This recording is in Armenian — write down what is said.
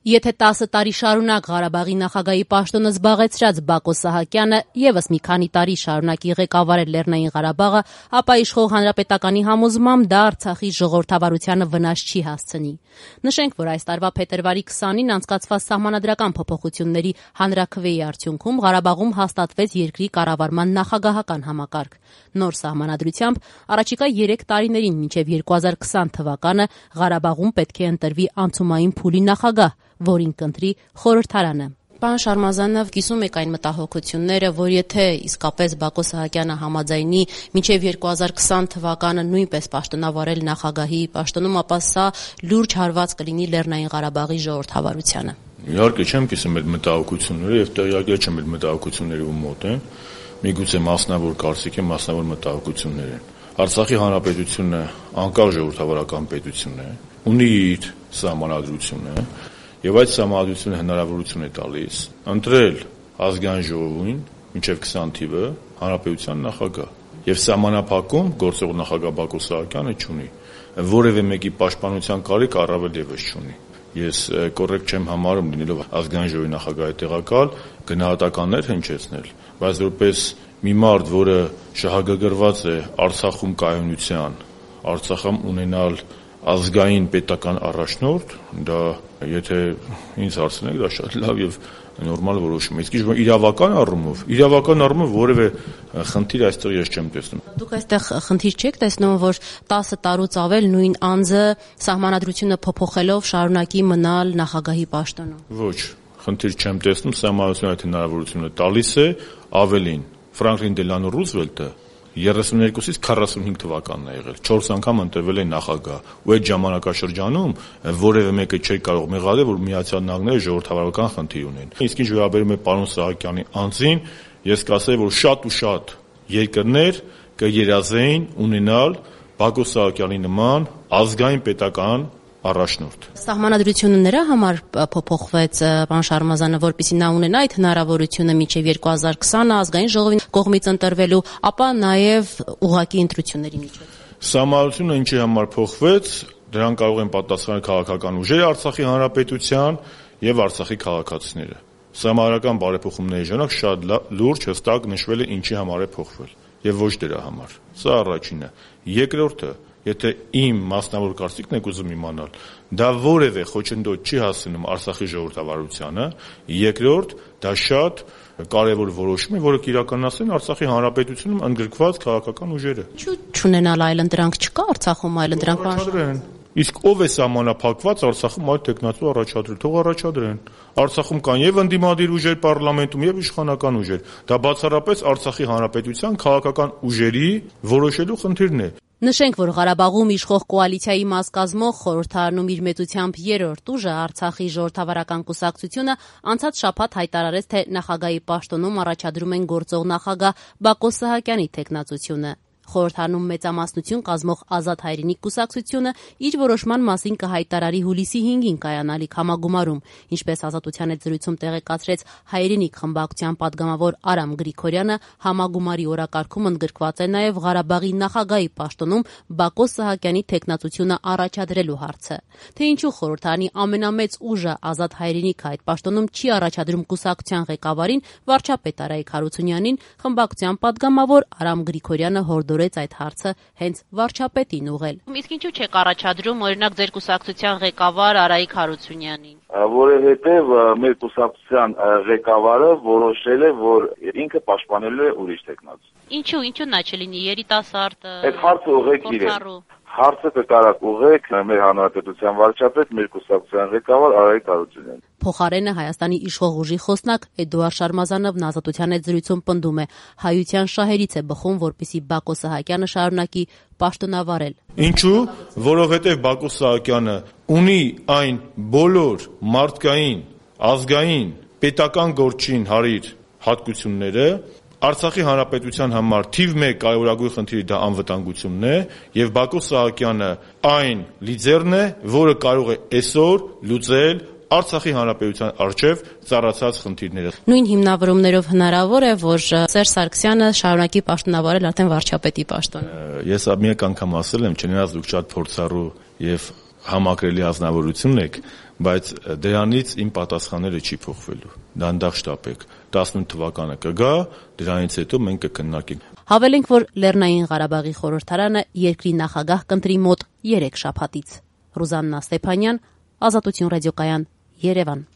Եթե 10 տարի շարունակ Ղարաբաղի նախագահի պաշտոնը զբաղեցրած Բակո Սահակյանը ևս մի քանի տարի շարունակի ղեկավարել Լեռնային Ղարաբաղը, ապա իշխող հանրապետականի համոզմամբ դա Արցախի ժողովրդավարությանը վնաս չի հասցնի։ Նշենք, որ այս տարվա փետրվարի 20-ին անցկացված սահմանադրական փոփոխությունների հանրաքվեի արդյունքում Ղարաբաղում հաստատվեց երկրի կառավարման նախագահական համակարգ։ Նոր սահմանադրությամբ առաջիկա 3 տարիներին մինչև 2020 թվականը Ղարաբաղում պետք է ընտրվի անցումային փուլի նախագահ, որին կընտրի խորհրդարանը։ Պարոն Շարմազանով, կիսում եք այն մտահոգությունները, որ եթե իսկապես Բակո Սահակյանը համաձայնի մինչև 2020 թվականը նույնպես պաշտոնավարել նախագահի պաշտոնում, ապա սա լուրջ հարված կլինի Լեռնային Ղարաբաղի ժողովրդավարությանը։ Իհարկե չեմ կիսում այդ մտահոգությունները եւ տեղյակ չեմ այդ մտահոգությունների ու մոտ եմ։ Միգուցե մասնավոր կարծիք է, մասնավոր մտահոգություններ են։ Արցախի հանրապետությունը անկախ ժողովրդավարական պետություն է, ունի իր սահմանադրությունը եւ այդ սահմանադրությունը հնարավորություն է տալիս ընտրել ազգային ժողովին մինչեւ 20 թիվը հանրապետության նախագահ եւ սահմանափակում գործող նախագահ Բակո Սահակյանը չունի, որևէ մեկի պաշտպանության կարիք առավել եւս չունի։ Ես կոռեկտ չեմ համարում լինելով ազգային ժողովի նախագահի տեղակալ գնահատականներ հնչեցնել, բայց որպես մի մարդ, որը շահագրգռված է Արցախում կայունության, Արցախում ունենալ ազգային պետական առաջնորդ, դա եթե ինձ հարցնեք, դա շատ լավ եւ նորմալ որոշում է։ Իսկ իրավական առումով որևէ խնդիր այստեղ ես չեմ տեսնում։ Դուք այստեղ խնդիր չեք տեսնում, որ 10 տարուց ավել նույն անձը սահմանադրությունը փոփոխելով շարունակի մնալ նախագահի պաշտոնում։ Ոչ, խնդիր չեմ տեսնում, սահմանադրությունը այդ հնարավորությունը տալիս է, ավելին Ֆրանկլին Դելանո Ռուզվելտը 32-ից 45 թվականն է եղել, 4 անգամ ընտրվել է նախագահ, ու այդ ժամանակաշրջանում որևէ մեկը չէր կարող մեղադրել, որ Միացյալ Նահանգները ժողովրդավարական խնդիր ունեն։ Իսկ ինչ վերաբերում է պարոն Սահակյանի անձին, ես կասեի, որ շատ ու շատ երկրներ կերազեին ունենալ Բակո Սահակյանի նման ազգային պետական առաջնորդ։ Սահմանադրությունը նրա համար փոփոխվեց, պարոն Շարմազանը, որպեսզի նա ունենա այդ հնարավորությունը մինչև 2020 ազգային ժողովի կողմից ընտրվելու, ապա նաև ուղղակի ընտրությունների միջոցով։ Սահմանադրությունը ինչի համար փոխվեց, դրան կարող են պատասխանել քաղաքական ուժերը Արցախի հանրապետության եւ Արցախի քաղաքացիները։ Սահմանադրական բարեփոխումների ժամանակ շատ լուրջ հստակ նշվել է ինչի համար է փոխվել եւ ոչ դրա համար։ Սա առաջինը։ Երկրորդը, եթե իմ մասնավոր կարծիքն եք ուզում իմանալ, դա որևէ խոչընդոտ չի հասնում Արցախի ժողովրդավարությանը, երկրորդ, դա շատ կարևոր որոշում է, որը կիրականացնեն Արցախի հանրապետությունում ընդգրկված քաղաքական ուժերը։ Ինչու՞ չունենալ այլընտրանք չկա Արցախում այլընտրանք առաջադրեն։ Իսկ ով է սահմանափակված Արցախում այդ տեխնացու առաջադրել, թող առաջադրեն։ Արցախում կան եւ ընդդիմադիր ուժեր պարլամենտում եւ իշխանական ուժեր։ Դա բացառապես Արցախի հանրապետության քաղաքական ուժերի որոշելու խնդիրն է։ Նշենք, որ Ղարաբաղում իշխող կոալիցիայի մաս կազմող խորհրդարանում իր մեծությամբ 3-րդ ուժը Արցախի ժողովրդավարական կուսակցությունը անցած շաբաթ հայտարարեց, թե նախագահի պաշտոնում առաջադրում են գործող նախագահ Բակո Սահակյանի թեկնածությունը։ Խորհրդարանում մեծամասնություն կազմող Ազատ Հայրենիք կուսակցությունը իր որոշման մասին կհայտարարի հուլիսի 5-ին կայանալիք համագումարում, ինչպես Ազատության հետ զրույցում տեղեկացրեց Հայրենիք խմբակցության падգամավոր Արամ Գրիգորյանը, համագումարի օրակարգում ընդգրկված է նաև Ղարաբաղի նախագահի պաշտոնում Բակո Սահակյանի թեկնածությունը առաջադրելու հարցը։ Թե ինչու խորհրդարանի ամենամեծ ուժը Ազատ Հայրենիքը այդ պաշտոնում չի առաջադրում կուսակցության ղեկավարին վարչապետ Արայիկ Հարությունյանին, խմբակցության падգամավոր Արամ Գրիգորյանը հորդորեց այդ հարցը հենց վարչապետին ուղղել։ Իսկ ինչու չեք առաջադրում օրինակ ձեր կուսակցության ղեկավար Արայիկ Հարությունյանին։ Որովհետև մեր կուսակցության ղեկավարը որոշել է, որ ինքը պաշտպանելու է ուրիշ թեկնածու։ Ինչու նա չլինի երիտասարդ։ Այդ հարցը ուղղեք իրեն։ Հարցը կկարակ ուղղեք մեր հանրապետության վարչապետ, մեր կուսակցության ղեկավար Արայիկ Հարությունյանին։ Փոխարենը Հայաստանի իշխող ուժի խոսնակ Էդուարդ Շարմազանովն Ազատության հետ զրույցում պնդում է, հայության շահերից է բխում, որպեսզի Բակո Սահակյանը շարունակի պաշտոնավարել։ Ինչու՞, որովհետև Բակո Սահակյանը ունի այն բոլոր մարդկային, ազգային, պետական գործին հարիր հատկությունները, Արցախի հանրապետության համար թիվ 1 կարևորագույն խնդիրը դա անվտանգությունն է, եւ Բակո Սահակյանը այն լիդերն է, որը կարող է այսօր լուծել Արցախի հանրապետության առջև ծառացած խնդիրները։ Նույն հիմնավորումներով հնարավոր է, որ Սերժ Սարգսյանը շարունակի պաշտոնավարել արդեն վարչապետի պաշտոնը։ Ես մեկ անգամ ասել եմ, չնայած դուք շատ փորձառու եւ համակրելի ազնվորություն եք, բայց դրանից իմ պատասխանները չի փոխվելու։ Դանդաղ շտապեք, 18 թվականը կգա, դրանից հետո մենք կքննարկենք։ Հավելենք, որ Լեռնային Ղարաբաղի խորհրդարանը երկրի նախագահ կընտրի մոտ 3 շաբաթից։ Ռուզաննա Ստեփանյան, Ազատություն ռադիոկայան, Երևան։